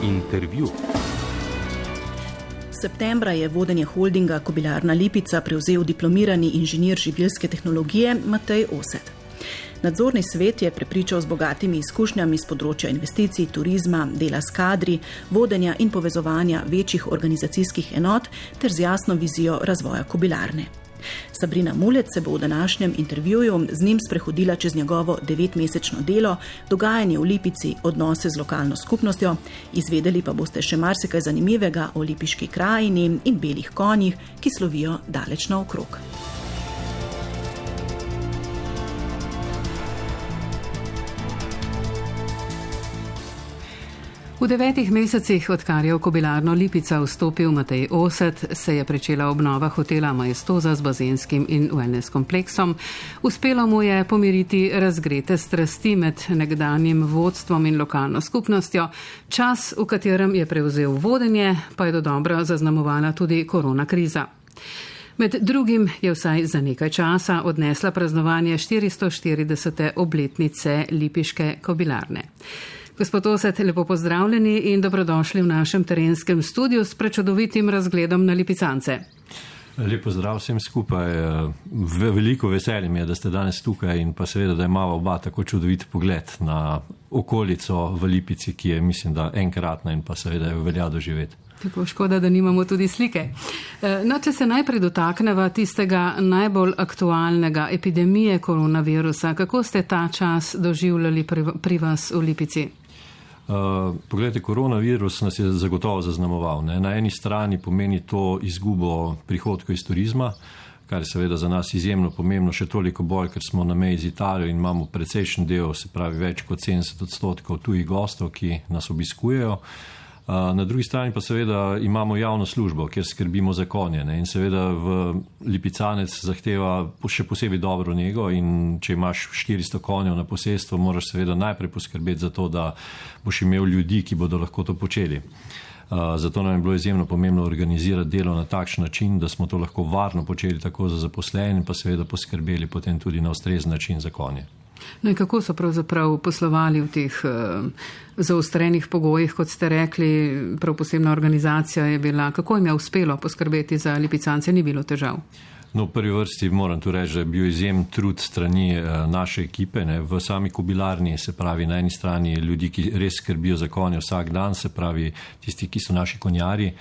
Intervju. Septembra je vodenje holdinga Kobilarna Lipica prevzel diplomirani inženir živilske tehnologije Matej Osed. Nadzorni svet je prepričal z bogatimi izkušnjami z področja investicij, turizma, dela s kadri, vodenja in povezovanja večjih organizacijskih enot ter z jasno vizijo razvoja kobilarne. Sabrina Mulec se bo v današnjem intervjuju z njim sprehodila čez njegovo 9-mesečno delo, dogajanje v Lipici, odnose z lokalno skupnostjo, izvedeli pa boste še marsikaj zanimivega o lipiški krajini in belih konjih, ki slovijo daleč naokrog. V 9 mesecih, odkar je v Kobilarno Lipica vstopil Matej Osed, se je pričela obnova hotela Maestoza z bazenskim in wellness kompleksom. Uspelo mu je pomiriti razgrete strasti med nekdanjim vodstvom in lokalno skupnostjo. Čas, v katerem je prevzel vodenje, pa je dodobra zaznamovala tudi korona kriza. Med drugim je vsaj za nekaj časa odnesla praznovanje 440. obletnice lipiške kobilarne. Gospod Osed, lepo pozdravljeni in dobrodošli v našem terenskem studiu s prečudovitim razgledom na Lipicance. Lep pozdrav vsem skupaj. Veliko veselje mi je, da ste danes tukaj in pa seveda, da imava oba tako čudovit pogled na okolico v Lipici, ki je, mislim, da enkratna in pa seveda jo velja doživeti. Tako škoda, da nimamo tudi slike. No, če se najprej dotakneva tistega najbolj aktualnega epidemije koronavirusa, kako ste ta čas doživljali pri vas v Lipici? Poglejte, koronavirus nas je zagotovo zaznamoval. Na eni strani pomeni to izgubo prihodkov iz turizma, kar je seveda za nas izjemno pomembno, še toliko bolj, ker smo na meji z Italijo in imamo precejšen del, se pravi več kot 70% tujih gostov, ki nas obiskujejo. Na drugi strani pa seveda imamo javno službo, kjer skrbimo za konje. In seveda v Lipicanec zahteva še posebej dobro nego in če imaš 400 konjev na posestvu, moraš seveda najprej poskrbeti za to, da boš imel ljudi, ki bodo lahko to počeli. Zato nam je bilo izjemno pomembno organizirati delo na takšen način, da smo to lahko varno počeli tako za zaposlene in pa seveda poskrbeli potem tudi na ustrezen način za konje. No in kako so pravzaprav poslovali v teh zaostrenih pogojih, kot ste rekli, prav posebna organizacija je bila. Kako jim je uspelo poskrbeti za Lipicance, ni bilo težav? No, v prvi vrsti moram tu reči, da je bil izjemen trud strani naše ekipe. V sami kobilarni, se pravi na eni strani ljudi, ki res skrbijo za konje vsak dan, se pravi tisti, ki so naši konjarji.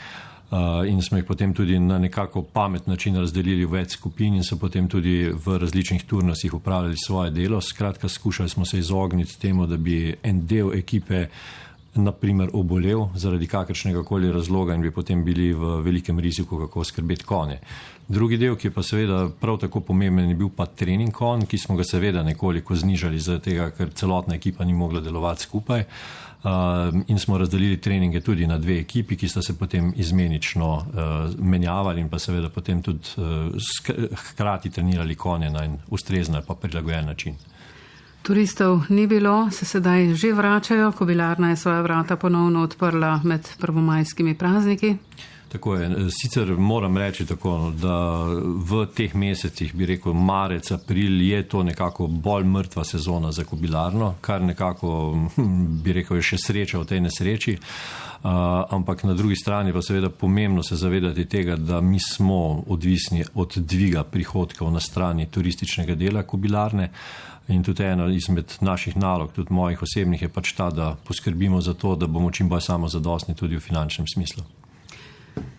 In smo jih potem tudi na nekako pamet način razdelili v več skupin in so potem tudi v različnih turnusih upravljali svoje delo. Skratka, skušali smo se izogniti temu, da bi en del ekipe naprimer obolel zaradi kakršnega koli razloga in bi potem bili v velikem riziku, kako skrbeti konje. Drugi del, ki je pa seveda prav tako pomemben, je bil pa trening konj, ki smo ga seveda nekoliko znižali zaradi tega, ker celotna ekipa ni mogla delovati skupaj. In smo razdelili treninge tudi na 2 ekipi, ki sta se potem izmenično menjavali in pa seveda potem tudi hkrati trenirali konje na en ustrezen ali pa prilagojen način. Turistov ni bilo, se sedaj že vračajo, kobilarna je svoja vrata ponovno odprla med prvomajskimi prazniki. Tako je. Sicer moram reči tako, da v teh mesecih, bi rekel marec, april, je to nekako bolj mrtva sezona za kobilarno, kar nekako, bi rekel, je še sreča v tej nesreči. Ampak na drugi strani pa seveda pomembno se zavedati tega, da mi smo odvisni od dviga prihodkov na strani turističnega dela kobilarne. In tudi ena izmed naših nalog, tudi mojih osebnih, je pač ta, da poskrbimo za to, da bomo čim bolj samozadostni tudi v finančnem smislu.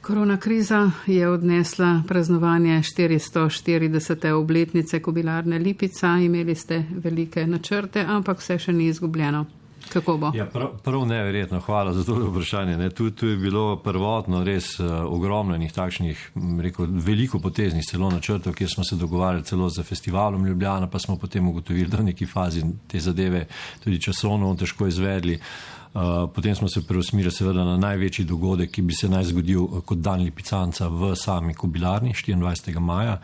Korona kriza je odnesla praznovanje 440. obletnice Kobilarne Lipica. Imeli ste velike načrte, ampak vse še ni izgubljeno. Kako bo? Ja, prav neverjetno, hvala za to vprašanje. Tu je bilo prvotno res ogromno enih takšnih, rekel, veliko poteznih celo načrtov, kjer smo se dogovarjali celo za festivalom Ljubljana, pa smo potem ugotovili, da v neki fazi te zadeve tudi časovno težko izvedli. Potem smo se preusmerili seveda na največji dogodek, ki bi se naj zgodil kot dan Lipicanca v sami kobilarni 24. maja.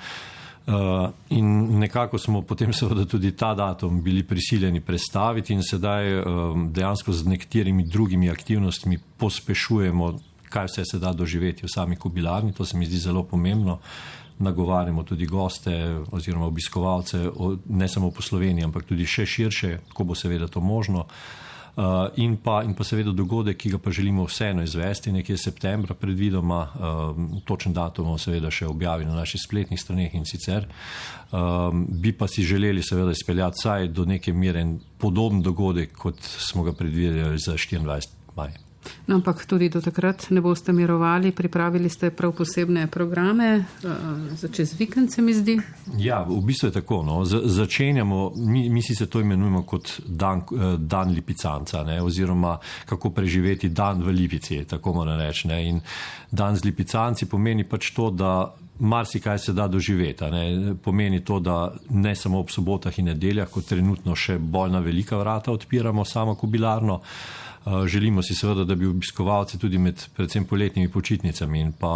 In nekako smo potem seveda tudi ta datum bili prisiljeni prestaviti in sedaj dejansko z nekaterimi drugimi aktivnostmi pospešujemo, kaj vse se da doživeti v sami kobilarni. To se mi zdi zelo pomembno. Nagovarjamo tudi goste oziroma obiskovalce, ne samo po Sloveniji, ampak tudi še širše, ko bo seveda to možno. In pa seveda dogodek, ki ga pa želimo vseeno izvesti, nekje septembra predvidoma, točen datum bomo seveda še objavili na naših spletnih straneh in sicer, bi pa si želeli seveda izpeljati vsaj do neke mere podoben dogodek, kot smo ga predvideli za 24. maj. No, ampak tudi do takrat ne boste mirovali, pripravili ste prav posebne programe za čez vikend, se mi zdi? Ja, v bistvu je tako. No. Začenjamo, mi si se to imenujemo kot dan lipicanca, ne, oziroma kako preživeti dan v Lipici, tako moram reči. Ne. In dan z lipicanci pomeni pač to, da marsikaj se da doživeti. Ne. Pomeni to, da ne samo ob sobotah in nedeljah, kot trenutno še bolj na velika vrata odpiramo samo kobilarno. Želimo si seveda, da bi obiskovalci tudi med predvsem poletnimi počitnicami in pa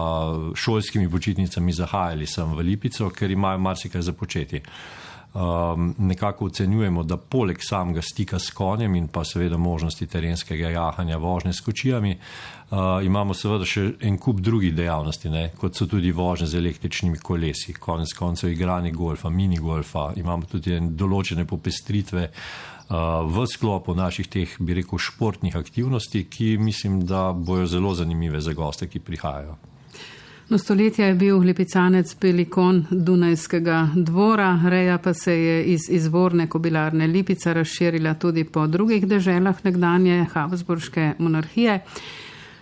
šolskimi počitnicami zahajali sem v Lipico, ker imajo marsikaj za početi. Nekako ocenjujemo, da poleg samega stika s konjem in pa seveda možnosti terenskega jahanja, vožnje s kočijami, imamo seveda še en kup drugih dejavnosti, ne, kot so tudi vožnje z električnimi kolesi, konec koncev igranje golfa, minigolfa, imamo tudi določene popestritve v sklopu naših teh, bi rekel, športnih aktivnosti, ki mislim, da bojo zelo zanimive za goste, ki prihajajo. No, stoletja je bil lipicanec beli konj Dunajskega dvora, reja pa se je iz izvorne kobilarne Lipica razširila tudi po drugih deželah nekdanje Habsburške monarhije.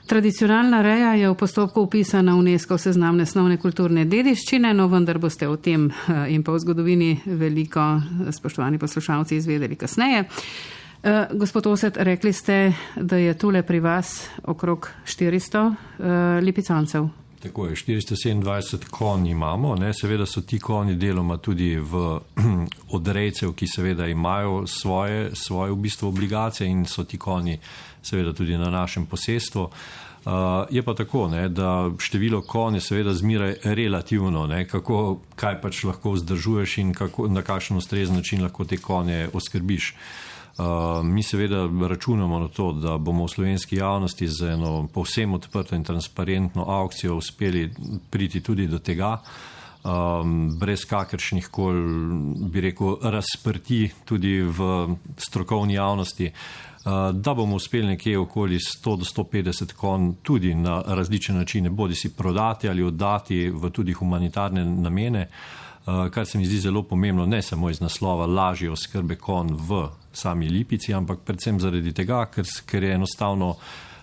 Tradicionalna reja je v postopku upisana v UNESCO seznam nesnovne kulturne dediščine, no vendar boste o tem in pa o zgodovini veliko, spoštovani poslušalci, izvedeli kasneje. Gospod Oset, rekli ste, da je tule pri vas okrog 400 lipicancev. Tako je, 427 konj imamo, ne, seveda so ti konji deloma tudi od rejcev, ki seveda imajo svoje v bistvu obligacije in so ti konji seveda tudi na našem posestvu. Je pa tako, ne, da število konj je seveda zmeraj relativno, ne, kaj pač lahko vzdržuješ in na kakšen ustrezen način lahko te konje oskrbiš. Mi seveda računamo na to, da bomo v slovenski javnosti z eno povsem odprto in transparentno aukcijo uspeli priti tudi do tega, brez kakršnih kol, bi rekel, razprti tudi v strokovni javnosti, da bomo uspeli nekje okoli 100 do 150 konj tudi na različne načine, bodi si prodati ali oddati v tudi humanitarne namene, kar se mi zdi zelo pomembno, ne samo iz naslova lažje oskrbe konj v sami Lipici, ampak predvsem zaradi tega, ker je enostavno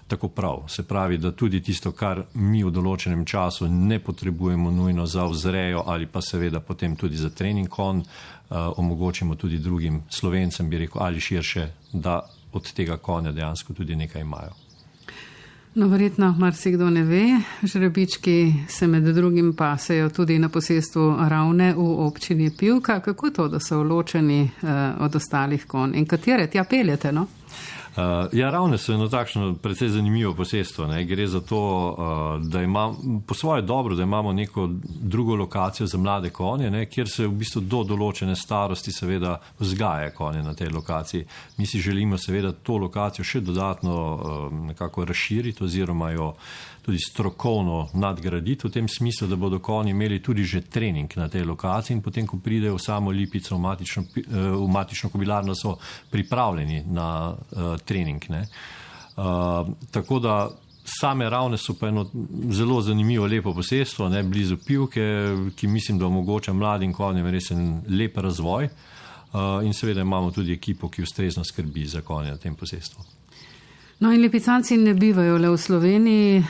tako prav. Se pravi, da tudi tisto, kar mi v določenem času ne potrebujemo nujno za vzrejo ali pa seveda potem tudi za trening konj, omogočimo tudi drugim Slovencem, bi rekel, ali širše, da od tega konja dejansko tudi nekaj imajo. No, verjetno marsikdo ne ve, žrebički se med drugim pasejo tudi na posestvu Ravne v občini Pivka. Kako to, da so ločeni od ostalih konj in katere tja peljete, no? Ja, Ravne so eno takšno precej zanimivo posestvo. Ne. Gre za to, da imamo po svoje dobro, da imamo neko drugo lokacijo za mlade konje, ne, kjer se v bistvu do določene starosti seveda vzgaja konje na tej lokaciji. Mi si želimo seveda to lokacijo še dodatno nekako razširiti oziroma jo tudi strokovno nadgraditi v tem smislu, da bodo konji imeli tudi že trening na tej lokaciji in potem, ko pridejo v samo Lipico, v matično kobilarno, so pripravljeni na trening. Ne. Tako da same Ravne so pa eno zelo zanimivo, lepo posestvo, ne, blizu Pivke, ki mislim, da omogoča mladim konjem res en lep razvoj in seveda imamo tudi ekipo, ki ustrezno skrbi za konje na tem posestvu. No in lipicanci ne bivajo le v Sloveniji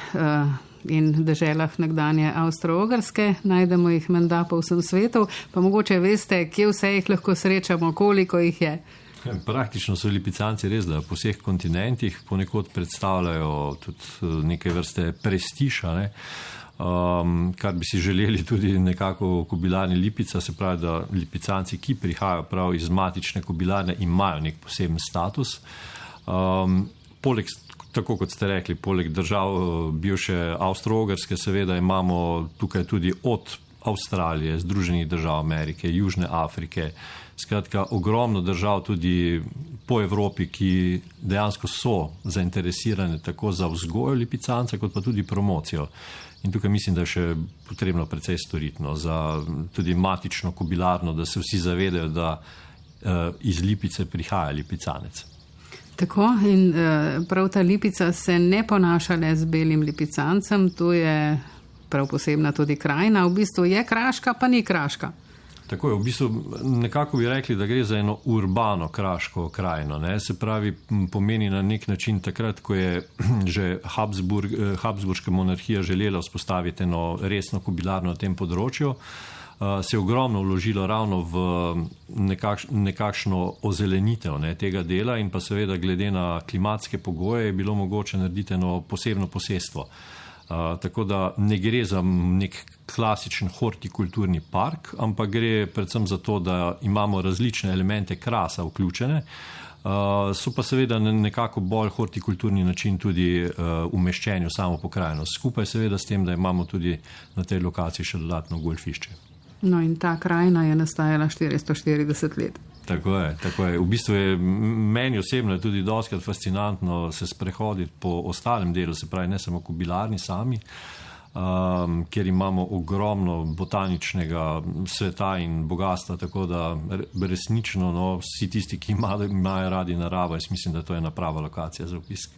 in deželah nekdanje Avstro-Ogrske, najdemo jih menda po vsem svetu, pa mogoče veste, kje vse jih lahko srečamo, koliko jih je. Praktično so lipicanci res, da po vseh kontinentih ponekod predstavljajo tudi neke vrste prestiža, ne? Kar bi si želeli tudi nekako v kobilarni Lipica, se pravi, da lipicanci, ki prihajajo prav iz matične kobilarne, imajo nek poseben status. Poleg, tako kot ste rekli, poleg držav bivše Avstro-Ogrske, seveda imamo tukaj tudi od Avstralije, Združenih držav Amerike, Južne Afrike, skratka ogromno držav tudi po Evropi, ki dejansko so zainteresirane tako za vzgojo lipicanca, kot pa tudi promocijo. In tukaj mislim, da je še potrebno precej storiti za tudi matično kobilarno, da se vsi zavedajo, da iz Lipice prihaja lipicanec. Tako in prav ta lipica se ne ponaša le z belim lipicancem, to je prav posebna tudi krajina, v bistvu je kraška, pa ni kraška. Tako je, v bistvu nekako bi rekli, da gre za eno urbano kraško krajino, ne? Se pravi, pomeni na nek način takrat, ko je že Habsburška monarhija želela vzpostaviti eno resno kobilarno na tem področju, se je ogromno vložilo ravno v nekakšno ozelenitev tega dela in pa seveda glede na klimatske pogoje je bilo mogoče narediti eno posebno posestvo. Tako da ne gre za nek klasičen hortikulturni park, ampak gre predvsem za to, da imamo različne elemente krasa vključene, so pa seveda nekako bolj hortikulturni način tudi umeščeni v samo pokrajino. Skupaj seveda s tem, da imamo tudi na tej lokaciji še dodatno golfišče. No in ta krajina je nastajala 440 let. Tako je. V bistvu je meni osebno tudi dostikrat fascinantno se sprehoditi po ostalem delu, se pravi ne samo kobilarni sami, kjer imamo ogromno botaničnega sveta in bogatstva, tako da resnično vsi tisti, ki imajo radi naravo, jaz mislim, da to je ena prava lokacija za obisk.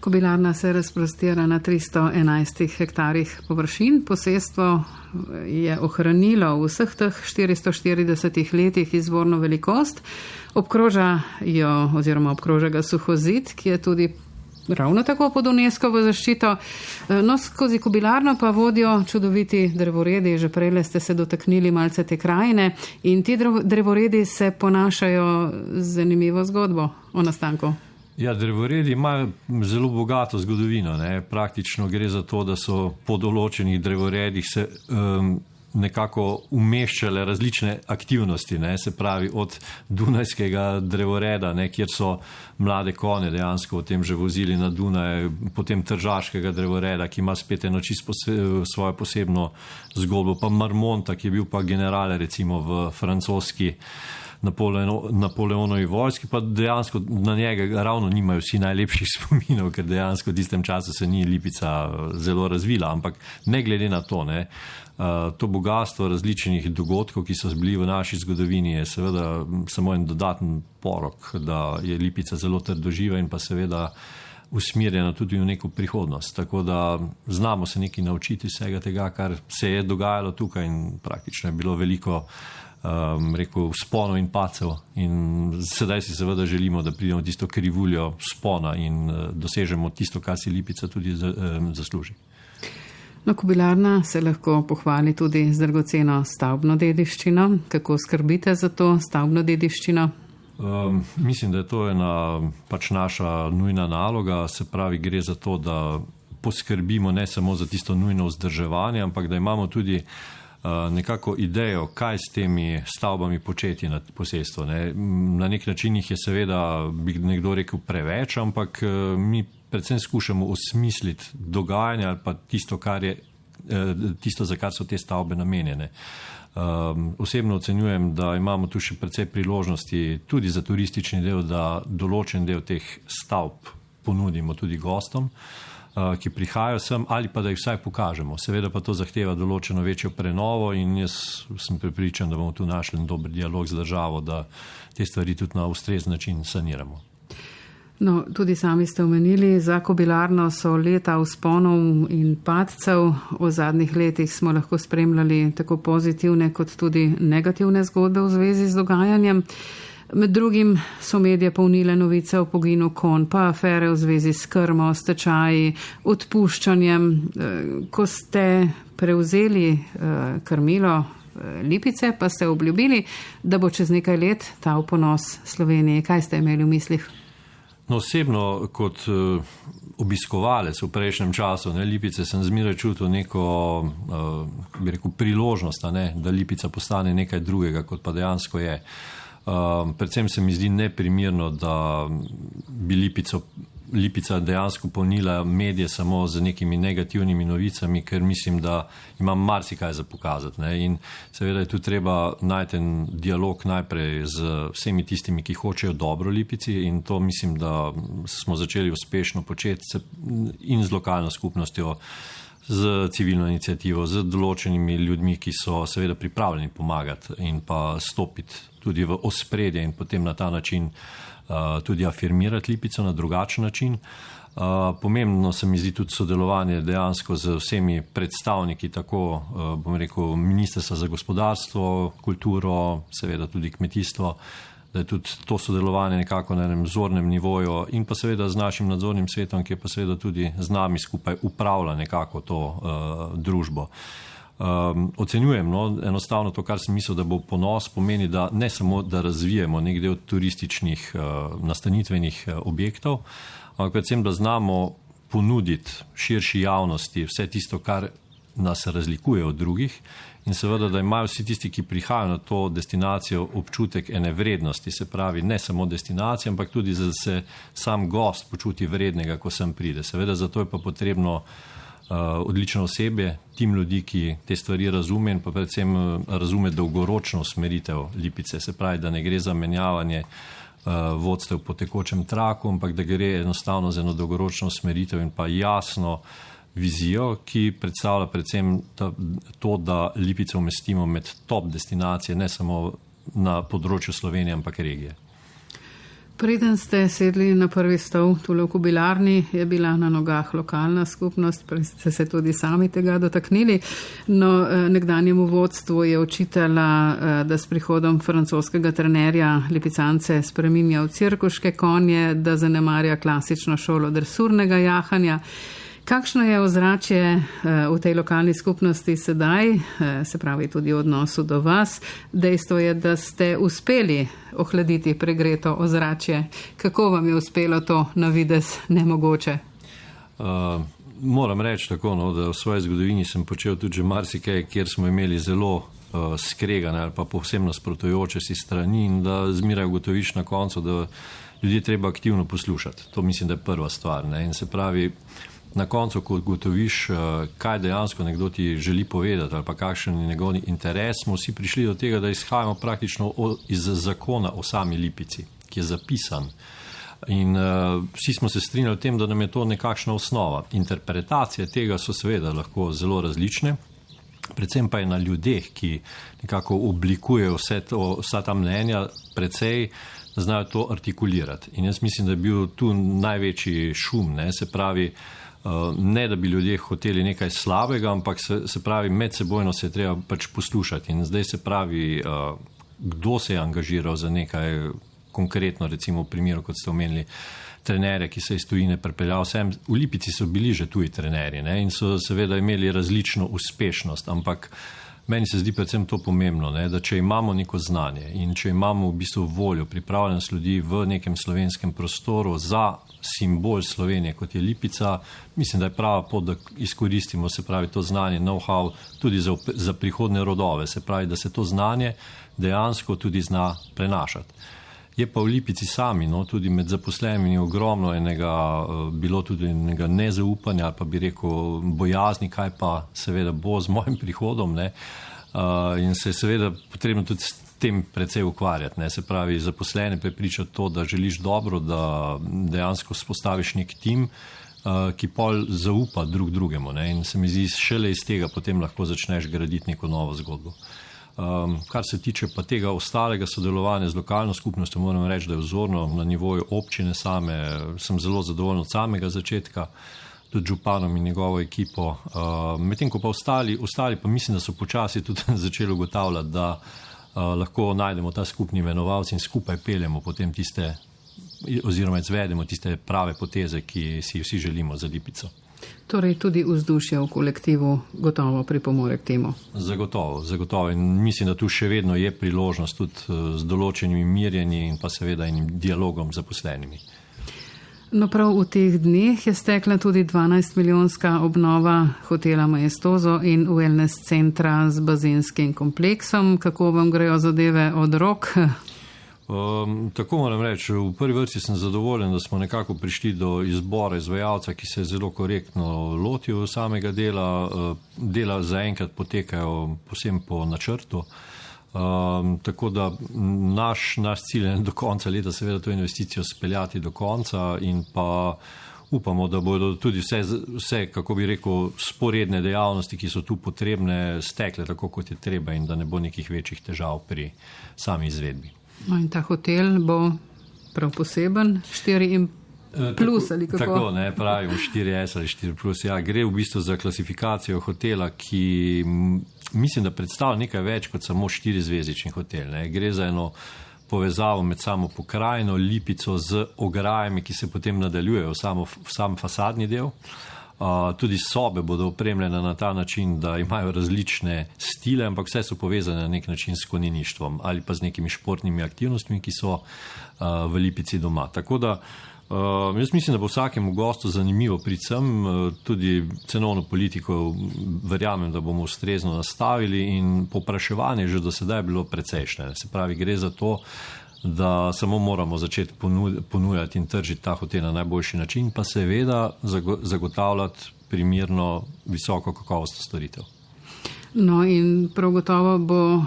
Kobilarna se razprostira na 311 hektarjih površin. Posestvo je ohranilo v vseh teh 440 letih izvorno velikost. Obkroža ga suhozid, ki je tudi ravno tako pod UNESCO-vo zaščito. No, skozi kobilarno pa vodijo čudoviti drevoredi. Že prej ste se dotaknili malce te krajine in ti drevoredi se ponašajo z zanimivo zgodbo o nastanku. Ja, drevoredi imajo zelo bogato zgodovino. Praktično gre za to, da so po določenih drevoredih se nekako umeščale različne aktivnosti, se pravi od Dunajskega drevoreda, kjer so mlade konje dejansko o tem že vozili na Dunaj, potem Tržaškega drevoreda, ki ima spet eno čisto svojo posebno zgodbo, pa Marmonta, ki je bil pa general recimo v francoski Napoleonovi vojski, pa dejansko na njega ravno nimajo vsi najlepših spominov, ker dejansko v tistem času se ni Lipica zelo razvila, ampak ne glede na to, to bogatstvo različnih dogodkov, ki so bili v naši zgodovini, je seveda samo en dodaten porok, da je Lipica zelo trdoživa in pa seveda usmerjena tudi v neko prihodnost. Tako da znamo se nekaj naučiti vsega tega, kar se je dogajalo tukaj in praktično je bilo veliko vzponov in pacev in sedaj si seveda želimo, da pridemo tisto krivuljo vzpona in dosežemo tisto, kar si Lipica tudi zasluži. No, kobilarna se lahko pohvali tudi z dragoceno stavbno dediščino. Kako skrbite za to stavbno dediščino? Mislim, da je to ena naša nujna naloga, se pravi gre za to, da poskrbimo ne samo za tisto nujno vzdrževanje, ampak da imamo tudi nekako idejo, kaj s temi stavbami početi na posestvu. Na nek način jih je seveda, bi nekdo rekel, preveč, ampak mi predvsem skušamo osmisliti dogajanje ali pa tisto, za kar so te stavbe namenjene. Osebno ocenjujem, da imamo tu še precej priložnosti tudi za turistični del, da določen del teh stavb ponudimo tudi gostom, ki prihajajo sem, ali pa da jih vsaj pokažemo. Seveda pa to zahteva določeno večjo prenovo in jaz sem prepričan, da bomo tu našli dober dialog z državo, da te stvari tudi na ustrezen način saniramo. No, tudi sami ste omenili, za kobilarno so leta vzponov in padcev. V zadnjih letih smo lahko spremljali tako pozitivne kot tudi negativne zgodbe v zvezi z dogajanjem. Med drugim so medije polnile novice o poginu konj, pa afere v zvezi s krmo, stečaji, odpuščanjem. Ko ste prevzeli krmilo Lipice, pa ste obljubili, da bo čez nekaj let ta v ponos Sloveniji. Kaj ste imeli v mislih? No, osebno kot obiskovalec v prejšnjem času Lipice sem zmeraj čutil neko priložnost, da Lipica postane nekaj drugega, kot pa dejansko je. Predvsem se mi zdi neprimerno, da bi Lipica dejansko polnila medije samo z nekimi negativnimi novicami, ker mislim, da imam marsikaj za pokazati. In seveda je tu treba najti en dialog najprej z vsemi tistimi, ki hočejo dobro Lipici in to mislim, da smo začeli uspešno početi in z lokalno skupnostjo, z civilno inicijativo, z določenimi ljudmi, ki so seveda pripravljeni pomagati in pa stopiti tudi v ospredje in potem na ta način tudi afirmirati Lipico na drugačen način. Pomembno se mi zdi tudi sodelovanje dejansko z vsemi predstavniki, tako bom rekel Ministrstva za gospodarstvo, kulturo, seveda tudi kmetijstvo, da je tudi to sodelovanje nekako na enem vzornem nivoju in pa seveda z našim nadzornim svetom, ki je pa seveda tudi z nami skupaj upravlja nekako to družbo. Ocenjujem, enostavno to, kar sem mislil, da bo ponos, pomeni, da ne samo, da razvijemo nek del turističnih nastanitvenih objektov, ampak predvsem, da znamo ponuditi širši javnosti vse tisto, kar nas razlikuje od drugih in seveda, da imajo vsi tisti, ki prihajajo na to destinacijo, občutek ene vrednosti, se pravi ne samo destinacije, ampak tudi, da se sam gost počuti vrednega, ko sem pride. Seveda, zato je pa potrebno odlično osebje, tim ljudi, ki te stvari razume in pa predvsem razume dolgoročno usmeritev Lipice, se pravi, da ne gre za menjavanje vodstev po tekočem traku, ampak da gre enostavno za eno dolgoročno usmeritev in pa jasno vizijo, ki predstavlja predvsem to, da Lipico umestimo med top destinacije, ne samo na področju Slovenije, ampak regije. Preden ste sedli na prvi stol tule v Kobilarni, je bila na nogah lokalna skupnost, ste se tudi sami tega dotaknili. No, nekdanjemu vodstvu je očitala, da s prihodom francoskega trenerja Lipicance spreminja v cirkuške konje, da zanemarja klasično šolo dresurnega jahanja. Kakšno je ozračje v tej lokalni skupnosti sedaj, se pravi tudi v odnosu do vas? Dejstvo je, da ste uspeli ohladiti pregreto ozračje. Kako vam je uspelo to na videz nemogoče? Moram reči tako, da v svoji zgodovini sem počel tudi že marsikaj, kjer smo imeli zelo skregane ali pa povsem nasprotujoče si strani in da zmeraj ugotoviš na koncu, da ljudje treba aktivno poslušati. To mislim, da je prva stvar. In se pravi, na koncu, ko ugotoviš, kaj dejansko nekdo ti želi povedati ali pa kakšen je njegov interes, smo vsi prišli do tega, da izhajamo praktično iz zakona o sami Lipici, ki je zapisan. In vsi smo se strinjali o tem, da nam je to nekakšna osnova. Interpretacije tega so seveda lahko zelo različne, predvsem pa je na ljudeh, ki nekako oblikujejo vsa ta mnenja, precej znajo to artikulirati. In jaz mislim, da je bil tu največji šum, se pravi, ne da bi ljudje hoteli nekaj slabega, ampak se pravi, medsebojno se je treba pač poslušati. In zdaj se pravi, kdo se je angažiral za nekaj konkretno, recimo v primeru, kot ste omenili, trenerje, ki se iz tujine pripeljal sem. V Lipici so bili že tuji trenerji in so seveda imeli različno uspešnost, ampak meni se zdi predvsem to pomembno, da če imamo neko znanje in če imamo v bistvu voljo, pripravljenost ljudi v nekem slovenskem prostoru za simbol Slovenije, kot je Lipica, mislim, da je prava pot, da izkoristimo, se pravi, to znanje, know-how tudi za prihodne rodove, se pravi, da se to znanje dejansko tudi zna prenašati. Je pa v Lipici sami, tudi med zaposlenimi ogromno bilo tudi enega nezaupanja ali pa bi rekel bojazni, kaj pa seveda bo z mojim prihodom, in se je seveda potrebno tudi s tem precej ukvarjati, se pravi, zaposlene prepričati to, da želiš dobro, da dejansko spostaviš nek tim, ki pol zaupa drug drugemu, in se mi zdi, šele iz tega potem lahko začneš graditi neko novo zgodbo. Kar se tiče pa tega ostalega sodelovanja z lokalno skupnostjo, moram reči, da je vzorno na nivoju občine same, sem zelo zadovoljen od samega začetka, tudi županom in njegovo ekipo. Medtem ko pa ostali pa mislim, da so počasi tudi začeli ugotavljati, da lahko najdemo ta skupni imenovalci in skupaj peljemo potem tiste, oziroma izvedemo tiste prave poteze, ki si vsi želimo za Lipico. Torej tudi vzdušje v kolektivu gotovo pripomore k temu. Zagotovo. In mislim, da tu še vedno je priložnost tudi z določenimi mirjenji in pa seveda enim dialogom z zaposlenimi. No, prav v teh dneh je stekla tudi 12-milijonska obnova hotela Maestoso in wellness centra z bazenskim kompleksom. Kako vam grejo zadeve od rok? Tako moram reči, v prvi vrsti sem zadovoljen, da smo nekako prišli do izbora izvajalca, ki se je zelo korektno lotil samega dela. Dela zaenkrat potekajo posebno po načrtu. Tako da naš cilj je do konca leta seveda to investicijo speljati do konca in pa upamo, da bodo tudi vse, kako bi rekel, sporedne dejavnosti, ki so tu potrebne, stekle tako, kot je treba in da ne bo nekih večjih težav pri sami izvedbi. No in ta hotel bo prav poseben, 4 plus ali kako? Tako, ne, pravimo 4S ali 4 plus. Ja, gre v bistvu za klasifikacijo hotela, ki mislim, da predstavlja nekaj več kot samo 4-zvezdični hotel. Ne. Gre za eno povezavo med samo pokrajino, Lipico z ograjami, ki se potem nadaljujejo v sam fasadni del. Tudi sobe bodo opremljene na ta način, da imajo različne stile, ampak vse so povezane na nek način s konjeništvom ali pa z nekimi športnimi aktivnostmi, ki so v Lipici doma. Tako da jaz mislim, da bo vsakemu gostu zanimivo priti sem, tudi cenovno politiko verjamem, da bomo ustrezno nastavili in povpraševanje že do sedaj je bilo precejšnje. Se pravi, gre za to, da samo moramo začeti ponujati in tržiti ta hotel na najboljši način, pa seveda zagotavljati primerno visoko kakovostno storitev. No in prav gotovo bo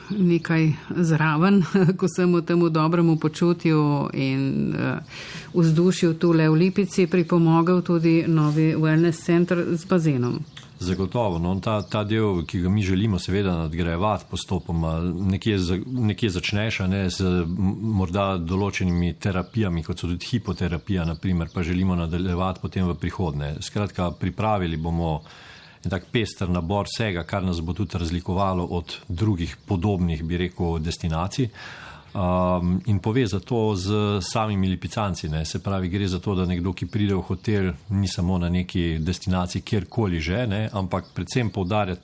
nekaj zraven, ko sem v temu dobremu počutju in vzdušju tule v Lipici pripomogel tudi novi wellness center z bazenom. Zagotovo. No, ta del, ki ga mi želimo seveda nadgrajevati postopoma, nekje začneš z morda določenimi terapijami, kot so tudi hipoterapija, naprimer, pa želimo nadaljevati potem v prihodnje. Skratka, pripravili bomo en tak pester nabor vsega, kar nas bo tudi razlikovalo od drugih podobnih, bi rekel, destinacij. In poveza to z samimi Lipicanci. Ne. Se pravi, gre za to, da nekdo, ki pride v hotel, ni samo na neki destinaciji, kjerkoli že, ne, ampak predvsem poudarja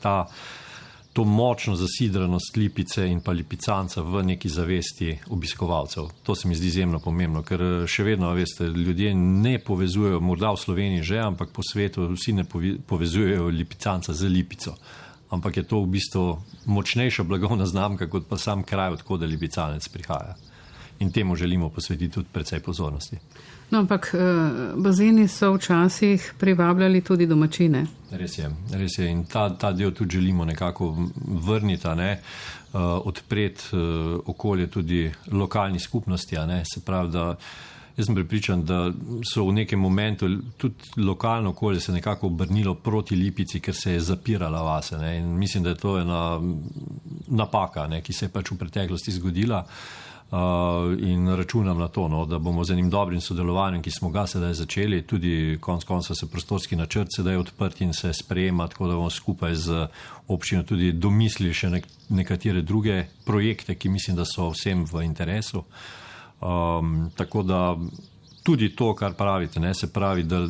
to močno zasidranost Lipice in pa Lipicanca v neki zavesti obiskovalcev. To se mi zdi izjemno pomembno, ker še vedno, veste, ljudje ne povezujejo, morda v Sloveniji že, ampak po svetu vsi ne povezujejo Lipicanca z Lipico. Ampak je to v bistvu močnejša blagovna znamka, kot pa sam kraj, odkud Lipicanec prihaja. In temu želimo posvetiti tudi precej pozornosti. No, ampak bazeni so včasih privabljali tudi domačine. Res je. In ta del tudi želimo nekako vrniti, odpreti okolje tudi lokalni skupnosti. Se pravi, da jaz sem prepričan, da so v nekem momentu tudi lokalno okolje se nekako obrnilo proti Lipici, ker se je zapirala vase. In mislim, da je to ena napaka, ki se je pač v preteklosti zgodila. In računam na to, da bomo z enim dobrim sodelovanjem, ki smo ga sedaj začeli, tudi konec konca se prostorski načrt sedaj odprt in se sprejema, tako da bomo skupaj z občino tudi domislili še nekatere druge projekte, ki mislim, da so vsem v interesu. Tako da tudi to, kar pravite, se pravi, da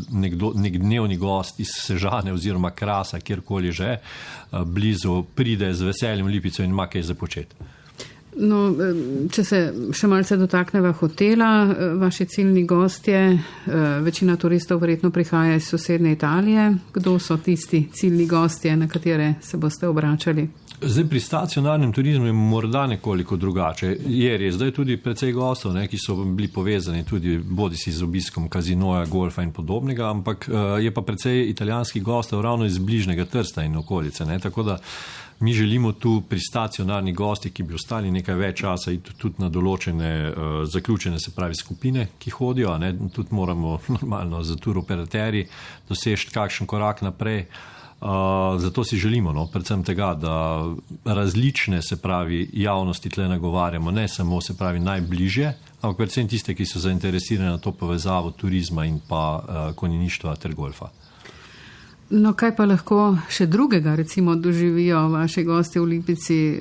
nek dnevni gost iz Sežane oziroma Krasa, kjerkoli že, blizu pride z veseljem v Lipico in ima kaj za početi. No, če se še malce dotakneva hotela, vaši ciljni gostje, večina turistov verjetno prihaja iz sosednje Italije. Kdo so tisti ciljni gostje, na katere se boste obračali? Zdaj pri stacionarnem turizmu je morda nekoliko drugače. Je res, da je tudi precej gostov, ki so bili povezani tudi bodisi z obiskom kazinoja, golfa in podobnega, ampak je pa precej italijanskih gostov ravno iz bližnjega Trsta in okolice. Tako da mi želimo tu pri stacionarnih gostih, ki bi ostali nekaj več časa, tudi na določene zaključene, se pravi, skupine, ki hodijo. Tudi moramo normalno za turoperaterji doseči kakšen korak naprej. Zato si želimo, predvsem tega, da različne, se pravi, javnosti tle nagovarjamo, ne samo, se pravi, najbližje, ampak predvsem tiste, ki so zainteresirani na to povezavo turizma in pa konjeništva ter golfa. No, kaj pa lahko še drugega, recimo, doživijo vaši gosti v Lipici?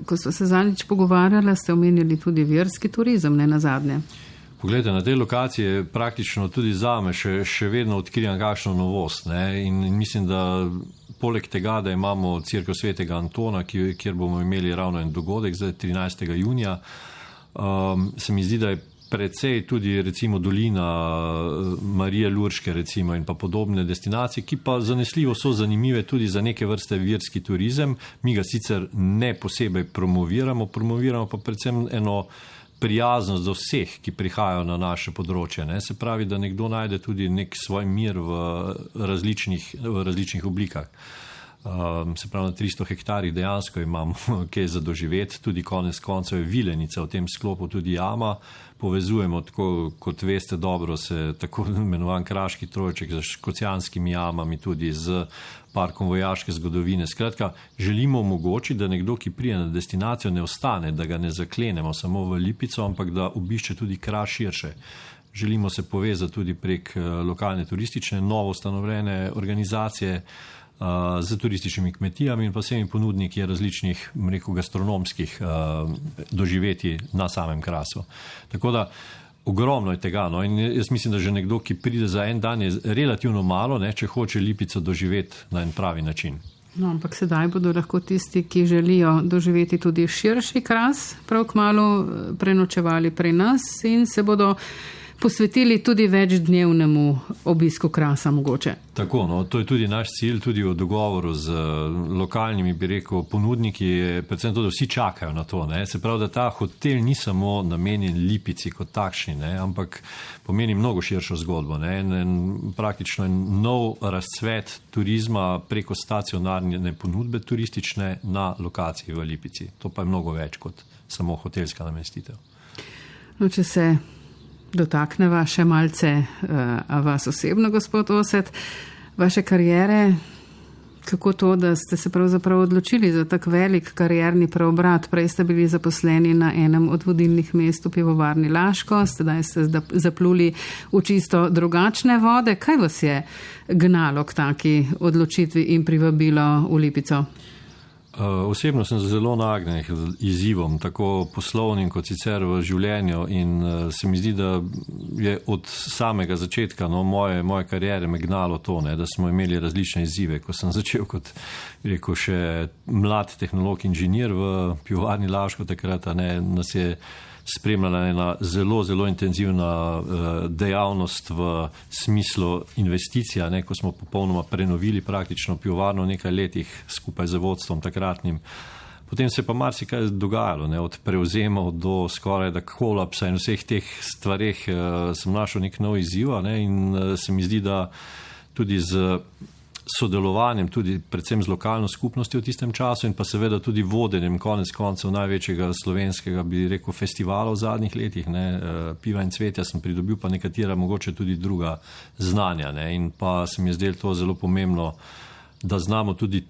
Ko ste se zadnjič pogovarjali, ste omenjali tudi verski turizem, ne nazadnje. Poglejte, na tej lokaciji je praktično tudi zame še vedno odkrivam kakšno novost. In mislim, da poleg tega, da imamo Cerkev svetega Antona, kjer bomo imeli ravno en dogodek zdaj 13. junija, se mi zdi, da je precej tudi recimo dolina Marije Lurške recimo in pa podobne destinacije, ki pa zanesljivo so zanimive tudi za neke vrste verski turizem. Mi ga sicer ne posebej promoviramo pa predvsem eno prijaznost do vseh, ki prihajajo na naše področje. Se pravi, da nekdo najde tudi nek svoj mir v različnih oblikah. se pravi na 300 hektarih dejansko imamo kaj za doživeti, tudi konec koncev je Vilenica v tem sklopu tudi jama, povezujemo tako, kot veste dobro, se tako imenovan kraški trojček z škocjanskimi jamami, tudi z parkom vojaške zgodovine. Skratka, želimo omogočiti, da nekdo, ki prije na destinacijo, ne ostane, da ga ne zaklenemo samo v Lipico, ampak da obišče tudi Kraš širše. Želimo se povezati tudi prek lokalne turistične, novo ustanovljene organizacije z turističnimi kmetijami in pa vsemi ponudniki različnih, rekel, gastronomskih doživetij na samem Krasu. Tako da ogromno je tega, no, in jaz mislim, da že nekdo, ki pride za en dan, je relativno malo, ne, če hoče Lipico doživeti na en pravi način. No, ampak sedaj bodo lahko tisti, ki želijo doživeti tudi širši Kras, prav kmalu prenočevali pri nas in se bodo posvetili tudi večdnevnemu obisku Krasa mogoče. Tako, no, to je tudi naš cilj, tudi v dogovoru z lokalnimi, bi rekel, ponudniki, predvsem to, da vsi čakajo na to, ne. Se pravi, da ta hotel ni samo namenjen Lipici kot takšni, ne, ampak pomeni mnogo širšo zgodbo, ne, praktično nov razcvet turizma preko stacionarne ponudbe turistične na lokaciji v Lipici. To pa je mnogo več kot samo hotelska namestitev. No, če se dotakneva še malce vas osebno, gospod Osed, vaše karijere, kako to, da ste se pravzaprav odločili za tak velik karierni preobrat. Prej ste bili zaposleni na enem od vodilnih mest v pivovarni Laško, sedaj ste zapluli v čisto drugačne vode. Kaj vas je gnalo k taki odločitvi in privabilo v Lipico? Osebno sem zelo nagnjen izzivom, tako poslovnim kot sicer v življenju, in se mi zdi, da je od samega začetka moje kariere me gnalo to, ne, da smo imeli različne izzive. Ko sem začel kot, rekel, še mlad tehnolog inženir v pivovarni Laško, takrat nas je spremljala ena zelo, zelo intenzivna dejavnost v smislu investicija, ne, ko smo popolnoma prenovili praktično pivovarno v nekaj letih skupaj z vodstvom takratnim. Potem se pa marsikaj dogajalo, ne, od prevzemov do skoraj da kolapsa in vseh teh stvareh sem našel nek nov izziv, ne, in se mi zdi, da tudi z sodelovanjem, tudi predvsem z lokalno skupnostjo v tistem času in pa seveda tudi vodenjem konec koncev največjega slovenskega, bi rekel, festivala v zadnjih letih, ne, Piva in cvetja, sem pridobil pa nekatera mogoče tudi druga znanja, ne, in pa se mi je zdelo to zelo pomembno, da znamo tudi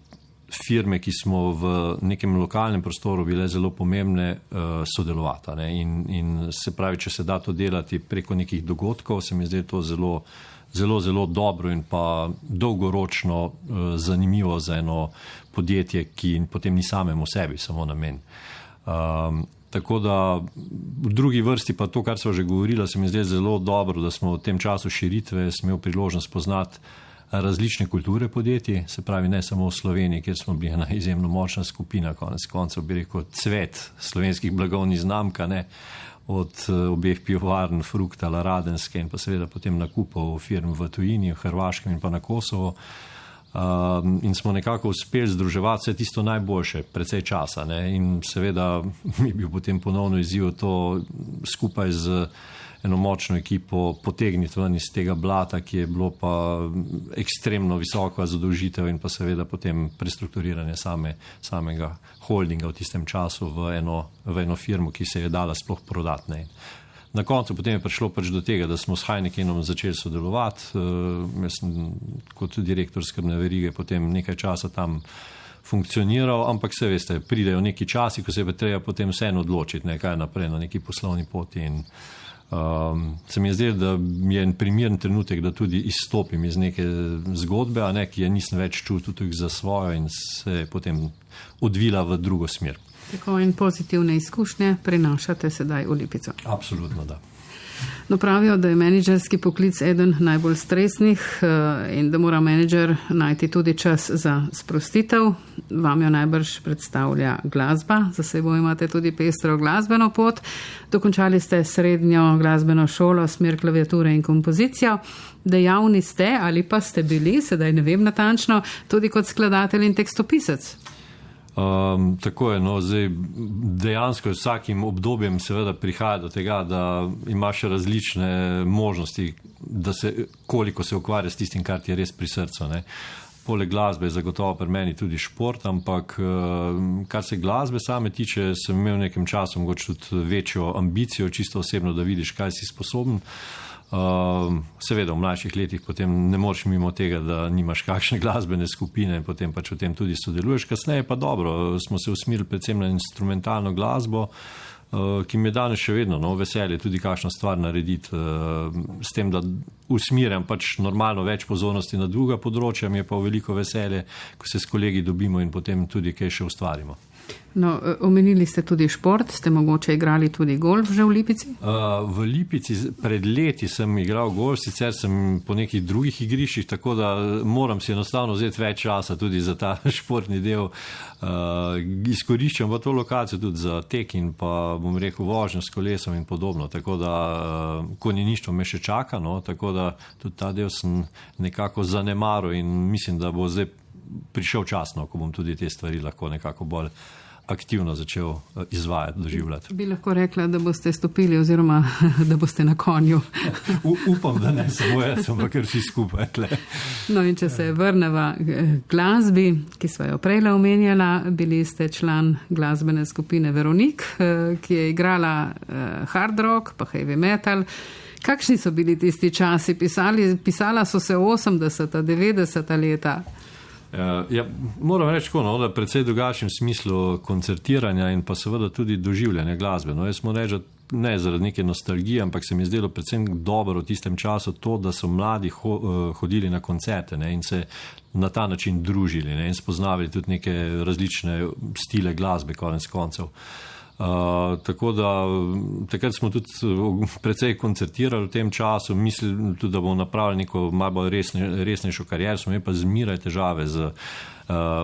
firme, ki smo v nekem lokalnem prostoru bile zelo pomembne, sodelovati, ne, in se pravi, če se da to delati preko nekih dogodkov, se mi je zdelo to zelo dobro in pa dolgoročno zanimivo za eno podjetje, ki potem ni samemu sebi samo namen. Tako da v drugi vrsti pa to, kar smo že govorila, se mi zdi zelo dobro, da smo v tem času širitve smel priložnost poznati različne kulture podjetij, se pravi ne samo v Sloveniji, kjer smo bili ena izjemno močna skupina, konec koncev bi rekel cvet slovenskih blagovnih znamka, ne, od obeh pivovarn Fruktala, Radenske in pa seveda potem nakupov firm v tujini, v Hrvaškem in pa na Kosovo. In smo nekako uspeli združevati vse tisto najboljše, precej časa, ne, in seveda mi je bil potem ponovno izziv to skupaj z eno močno ekipo potegniti ven iz tega blata, ki je bilo pa ekstremno visoka zadolžitev in pa seveda potem prestrukturiranje samega holdinga v tistem času v eno firmo, ki se je dala sploh prodati. Na koncu potem je prišlo pač do tega, da smo s Heinekenom začeli sodelovati. Jaz sem kot direktor skrbne verige potem nekaj časa tam funkcioniral, ampak se veste, pridejo neki časi, ko se je treba potem vseeno odločiti, ne, kaj naprej na neki poslovni poti, in se mi je zdelo, da je en primeren trenutek, da tudi izstopim iz neke zgodbe, a ne, ki je nisem več čutil tudi za svojo in se je potem odvila v drugo smer. Tako, in pozitivne izkušnje prenašate sedaj v Lipico. Absolutno, da. No, pravijo, da je menedžerski poklic eden najbolj stresnih in da mora menedžer najti tudi čas za sprostitev. Vam jo najbrž predstavlja glasba, za seboj imate tudi pestro glasbeno pot. Dokončali ste srednjo glasbeno šolo, smer klaviature in kompozicijo. Dejavni ste ali pa ste bili, sedaj ne vem natančno, tudi kot skladatelj in tekstopisec. Tako je, no, zdaj dejansko z vsakim obdobjem seveda prihaja do tega, da imaš različne možnosti, da se, koliko se ukvarja s tistim, kar ti je res pri srcu, ne. poleg glasbe je zagotovo pri meni tudi šport, ampak kar se glasbe same tiče, sem imel v nekem času mogoče tudi večjo ambicijo, čisto osebno, da vidiš, kaj si sposoben. Seveda v mlajših letih potem ne moreš mimo tega, da nimaš kakšne glasbene skupine in potem pač v tem tudi sodeluješ. Kasneje pa dobro, smo se usmerili predvsem na instrumentalno glasbo, ki mi je danes še vedno veselje tudi kakšno stvar narediti, s tem, da usmerjam pač normalno več pozornosti na druga področja, mi je pa veliko veselje, ko se s kolegi dobimo in potem tudi kaj še ustvarimo. No, omenili ste tudi šport, ste mogoče igrali tudi golf že v Lipici? V Lipici pred leti sem igral golf, sicer sem po nekih drugih igriščih, tako da moram si enostavno vzeti več časa tudi za ta športni del. Izkoriščam pa to lokacijo tudi za tek in pa, bom rekel, vožnjo s kolesom in podobno, tako da konjeništvo me še čaka, tako da tudi ta del sem nekako zanemaril in mislim, da bo zdaj prišel čas, ko bom tudi te stvari lahko nekako bolj aktivno začel izvajati, doživljati. Bi lahko rekla, da boste stopili oziroma da boste na konju. Upam, da ne samo jaz, ampak vsi skupaj. No in če se vrneva glasbi, ki sva jo prejle omenjala, bili ste član glasbene skupine Veronik, ki je igrala hard rock pa heavy metal. Kakšni so bili tisti časi? Pisala so se 80. 90. leta. Ja, moram reči, da predvsej drugačnem smislu koncertiranja in pa seveda tudi doživljanja glasbe. Jaz moram reči, ne zaradi neke nostalgije, ampak se mi zdelo predvsem dobro v tistem času to, da so mladi hodili na koncerte in se na ta način družili in spoznavali tudi neke različne stile glasbe konec koncev. Tako da takrat smo tudi precej koncertirali v tem času, mislim tudi, da bomo napravili neko malo bolj resnejšo kariero, smo imeli pa zmeraj težave z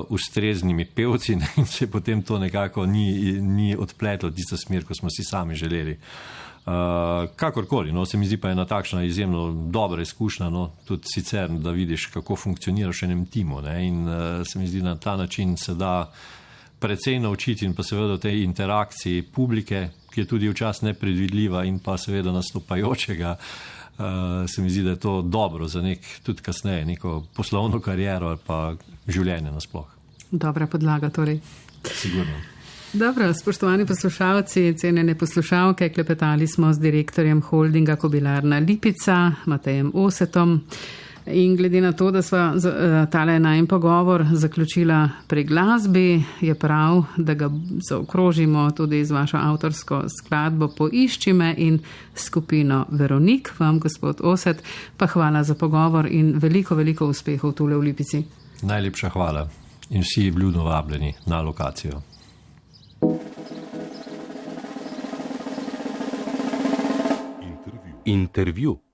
ustreznimi pevci in se potem to nekako ni odpletlo tisto smer, ko smo si sami želeli. Kakorkoli, se mi zdi pa ena takšna izjemno dobra izkušnja, tudi sicer, da vidiš, kako funkcioniraš v enem timu in se mi zdi, na ta način se da precej naučiti in pa seveda v tej interakciji publike, ki je tudi včasih nepredvidljiva in pa seveda nastopajočega, se mi zdi, da je to dobro za tudi kasneje neko poslovno kariero ali pa življenje nasploh. Dobra podlaga torej. Sigurno. Dobro, spoštovani poslušalci, cenjene poslušalke, klepetali smo z direktorjem holdinga Kobilarna Lipica, Matejem Osetom. In glede na to, da sva tale najin pogovor zaključila pri glasbi, je prav, da ga zaokrožimo tudi z vašo avtorsko skladbo Poišči me in skupino Veronik. Vam, gospod Oset, pa hvala za pogovor in veliko, veliko uspehov tule v Lipici. Najlepša hvala in vsi vljudno vabljeni na lokacijo. Intervju.